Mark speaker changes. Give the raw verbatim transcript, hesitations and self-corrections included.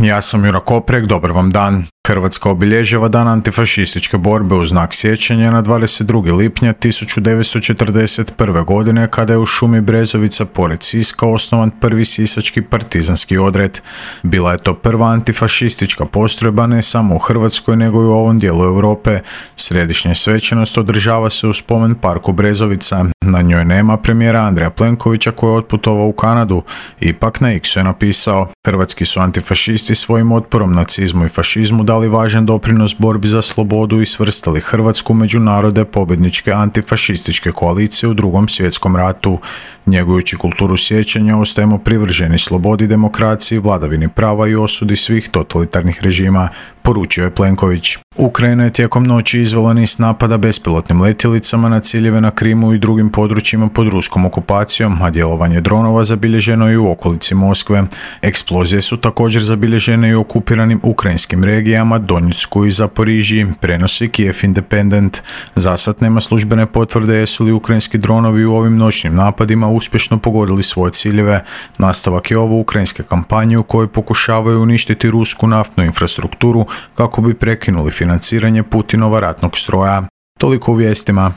Speaker 1: Ja sam Jura Koprek, dobar vam dan. Hrvatska obilježava dan antifašističke borbe u znak sjećanja na dvadeset drugog lipnja tisuću devetsto četrdeset prve. godine kada je u šumi Brezovica pored Siska osnovan prvi sisački partizanski odred. Bila je to prva antifašistička postrojba ne samo u Hrvatskoj nego i u ovom dijelu Europe. Središnja svečanost održava se u spomen parku Brezovica. Na njoj nema premijera Andreja Plenkovića koji je otputovao u Kanadu. Ipak na X-u je napisao: Hrvatski su antifašisti svojim otporom nacizmu i fašizmu dali važan doprinos borbi za slobodu i svrstali Hrvatsku među narode pobjedničke antifašističke koalicije u Drugom svjetskom ratu. Njegujući kulturu sjećanja ostajemo privrženi slobodi, demokraciji, vladavini prava i osudi svih totalitarnih režima, poručio je Plenković. Ukrajina je tijekom noći izvela niz napada bespilotnim letjelicama na ciljeve na Krimu i drugim područjima pod ruskom okupacijom, a djelovanje dronova zabilježeno je i u okolici Moskve. Eksplozije su također zabilježene i u okupiranim ukrajinskim regijama Donjecku i Zaporižiji, prenosi Kiev Independent. Zasad nema službene potvrde jesu li ukrajinski dronovi u ovim noćnim napadima uspješno pogodili svoje ciljeve. Nastavak je ovo ukrajinske kampanje u kojoj pokušavaju uništiti rusku naftnu infrastrukturu kako bi prekinuli financiranje Putinova ratnog stroja. Toliko u vijestima.